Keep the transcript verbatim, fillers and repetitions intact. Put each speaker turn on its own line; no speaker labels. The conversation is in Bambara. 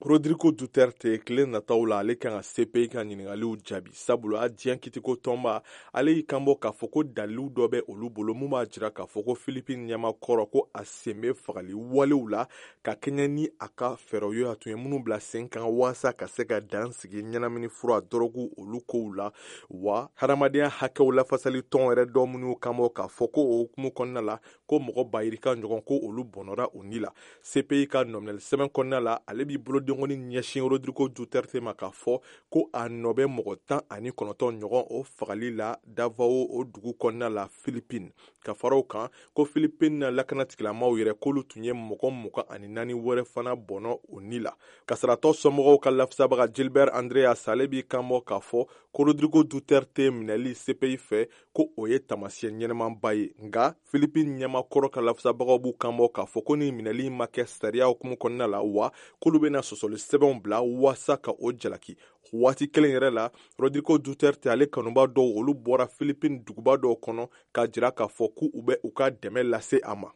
Rodrigo Duterte, tile nataw la, ale kan ka C P I ka ɲiningaliw jaabi, sabula diɲɛ kitiko tɔnba ale y'i kanbɔ k'a fɔ ko dalilu dɔ bɛ olu bolo mun b'a jira k'a fɔ ko Philippine ɲɛmakɔrɔ, ko a sen bɛ fagali walew la ka kɛɲɛ ni a ka fɛɛrɛw ye, a tun ye minnu bila sen kan waasa ka se ka dan sigi ɲɛnamini fura dɔrɔgu olu kow la. Wa hadamadenya hakɛw lafasali tɔn yɛrɛ dɔ minnu kanbɔ k'a fɔ ko o hukumu kɔnɔna la, ko mɔgɔ bayirika ɲɔgɔn, ko olu bɔnɔra u ni la. C P I ka nɔminɛli sɛbɛn kɔnɔna la, ale b'i bolodenkɔni ɲɛsin Rodrigo Duterte ma k'a fɔ ko a nɔ bɛ mɔgɔ tan ani kɔnɔntɔn ɲɔgɔn o fagali la Davao, o dugu kɔnɔna la Philippine. Ka fara o kan, ko Philippine lakanatigilamaw yɛrɛ, k'olu tun ye mɔgɔ mugan ani naani wɛrɛ fana bɔnɔ o ni la. Kasaratɔ somɔgɔw ka lafasabaga Gilbert Andreas, ale b'i kanbɔ k'a fɔ ko Rodrigo Duterte minɛli C P I fɛ, ko o ye tamasiyɛn ɲɛnɛmanba ye. Nka Philippine ɲɛmakɔrɔ ka lafasabagaw b'u kanbɔ k'a fɔ ko ni minɛli ma kɛ sariya hukumu kɔnɔna la, wa k'olu bɛna sɔsɔli sɛbɛnw bila waasa ka o jalaki. Waati kelen yɛrɛ la, Rodrigo Duterte ale kanuba dɔw, olu bɔra Philippine duguba dɔw kɔnɔ k'a jira k'a fɔ k'u bɛ u ka dɛmɛ lase a ma.